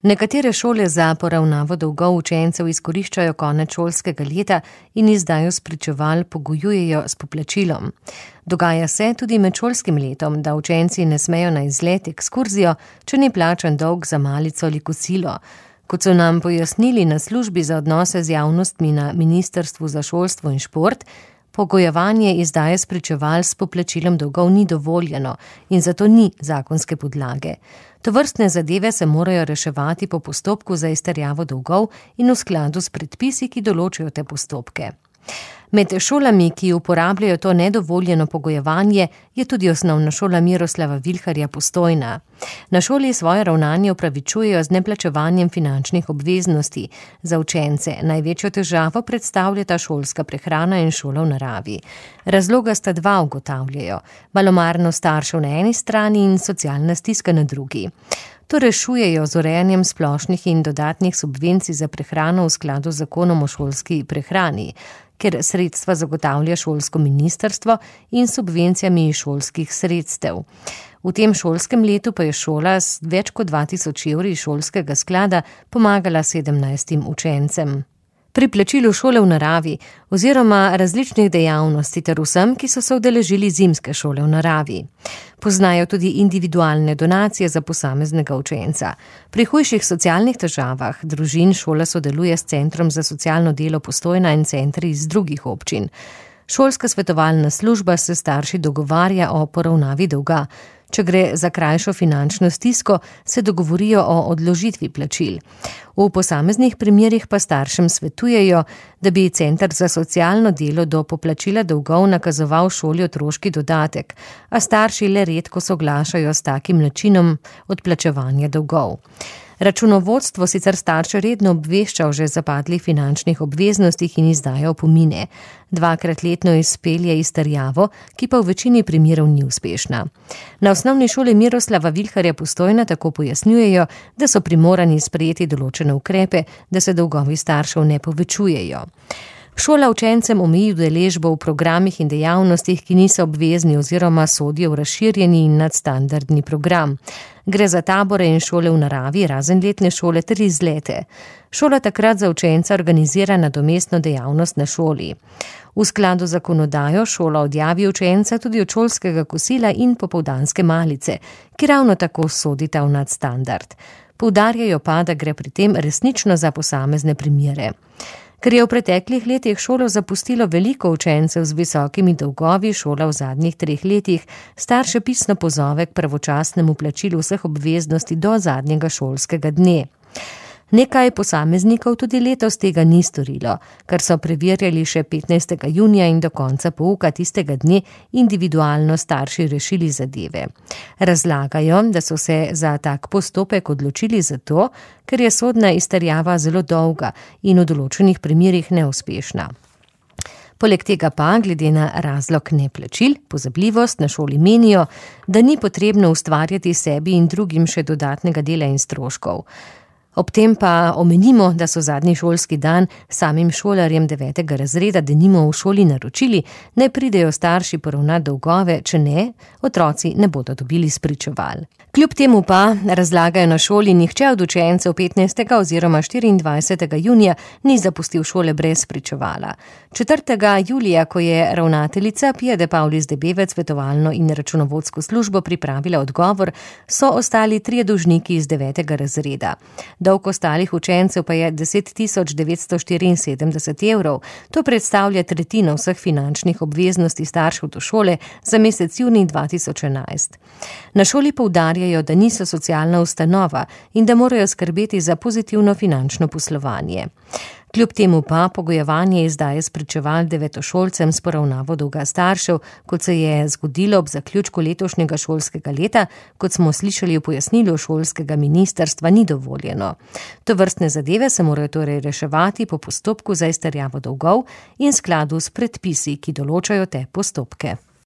Nekatere šole za poravnavo dolgov učencev izkoriščajo konec šolskega leta in izdajo spričeval pogojujejo s poplačilom. Dogaja se tudi med šolskim letom, da učenci ne smejo na izlet, ekskurzijo, če ni plačan dolg za malico ali kosilo. Kot so nam pojasnili na službi za odnose z javnostmi na Ministrstvu za šolstvo in šport, pogojevanje izdaje spričeval s poplačilom dolgov ni dovoljeno in zato ni zakonske podlage. Tovrstne zadeve se morajo reševati po postopku za izterjavo dolgov in v skladu s predpisi, ki določajo te postopke. Med šolami, ki uporabljajo to nedovoljeno pogojevanje, je tudi osnovna šola Miroslava Vilharja Postojna. Na šoli svoje ravnanje opravičujejo z neplačevanjem finančnih obveznosti. Za učence največjo težavo predstavljata šolska prehrana in šola v naravi. Razloga sta dva, ugotavljajo: malomarnost staršev na eni strani in socialna stiska na drugi. To rešujejo z urejanjem splošnih in dodatnih subvencij za prehrano v skladu z zakonom o šolski prehrani, ker sredstva zagotavlja šolsko ministrstvo in subvencijami šolskih sredstev. V tem šolskem letu pa je šola s več kot 2000 evri šolskega sklada pomagala 17 učencem. Pri plačilu šole v naravi oziroma različnih dejavnosti ter vsem, ki so se udeležili zimske šole v naravi. Poznajo tudi individualne donacije za posameznega učenca. Pri hujših socialnih težavah družin šola sodeluje s Centrom za socialno delo Postojna in centri iz drugih občin. Šolska svetovalna služba se starši dogovarja o poravnavi dolga. Če gre za krajšo finančno stisko, se dogovorijo o odložitvi plačil. V posameznih primerih pa staršem svetujejo, da bi Center za socialno delo do poplačila dolgov nakazoval šoli otroški dodatek, a starši le redko soglašajo s takim načinom odplačevanja dolgov. Računovodstvo sicer starše redno obvešča o že zapadlih finančnih obveznostih in izdaja opomine. 2-krat letno izpelje izterjavo, ki pa v večini primerov ni uspešna. Na osnovni šoli Miroslava Vilharja Postojna tako pojasnjujejo, da so primorani sprejeti določene ukrepe, da se dolgovi staršev ne povečujejo. Šola učencem omeji udeležbo v programih in dejavnostih, ki niso obvezni oziroma sodijo v razširjeni in nadstandardni program. Gre za tabore in šole v naravi, razen letne šole ter izlete. Šola takrat za učenca organizira nadomestno dejavnost na šoli. V skladu z zakonodajo šola odjavi učenca tudi od šolskega kosila in popoldanske malice, ki ravno tako sodita v nadstandard. Poudarjajo pa, da gre pri tem resnično za posamezne primere. Ker je v preteklih letih šolo zapustilo veliko učencev z visokimi dolgovi, šola v zadnjih 3 letih starše pisno pozove k pravočasnemu plačilu vseh obveznosti do zadnjega šolskega dne. Nekaj posameznikov tudi letos tega ni storilo, kar so preverjali še 15. junija in do konca pouka tistega dne individualno starši rešili zadeve. Razlagajo, da so se za tak postopek odločili zato, ker je sodna izterjava zelo dolga in v določenih primerih neuspešna. Poleg tega pa, glede na razlog neplačil, pozabljivost, na šoli menijo, da ni potrebno ustvarjati sebi in drugim še dodatnega dela in stroškov. Ob tem pa omenimo, da so zadnji šolski dan samim šolarjem 9. razreda denimo v šoli naročili, naj pridejo starši poravnati dolgove, če ne, otroci ne bodo dobili spričeval. Kljub temu pa, razlagajo na šoli, nihče od učencev 15. oziroma 24. junija ni zapustil šole brez spričevala. 4. julija, ko je ravnateljica Pia de Paulis Debevec svetovalno in računovodsko službo pripravila odgovor, so ostali 3 dolžniki iz 9. razreda. Dolg ostalih učencev pa je 10.974 evrov. To predstavlja tretjino vseh finančnih obveznosti staršev do šole za mesec junij 2011. Na šoli poudarjajo, da niso socialna ustanova in da morajo skrbeti za pozitivno finančno poslovanje. Kljub temu pa pogojevanje izdaje spričeval devetošolcem s poravnavo dolga staršev, kot se je zgodilo ob zaključku letošnjega šolskega leta, kot smo slišali v pojasnilu šolskega ministrstva, ni dovoljeno. Tovrstne zadeve se morajo torej reševati po postopku za izterjavo dolgov in skladu s predpisi, ki določajo te postopke.